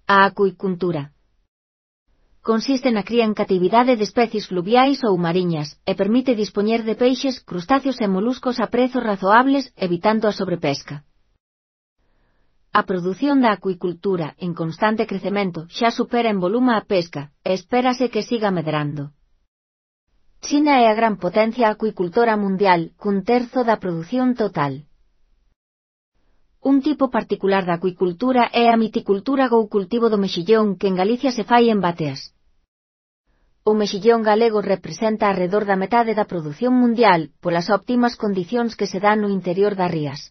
A acuicultura consiste na cría en catividade de especies fluviais ou mariñas, e permite dispoñer de peixes, crustáceos e moluscos a prezos razoables, evitando a sobrepesca. A produción da acuicultura, en constante crecemento, xa supera en volume a pesca, e espérase que siga medrando. China é a gran potencia acuicultora mundial, cun terzo da produción total. Un tipo particular da acuicultura é a miticultura ou cultivo do mexillón, que en Galicia se fai en bateas. O mexillón galego representa arredor da metade da produción mundial, polas óptimas condicións que se dan no interior das rías.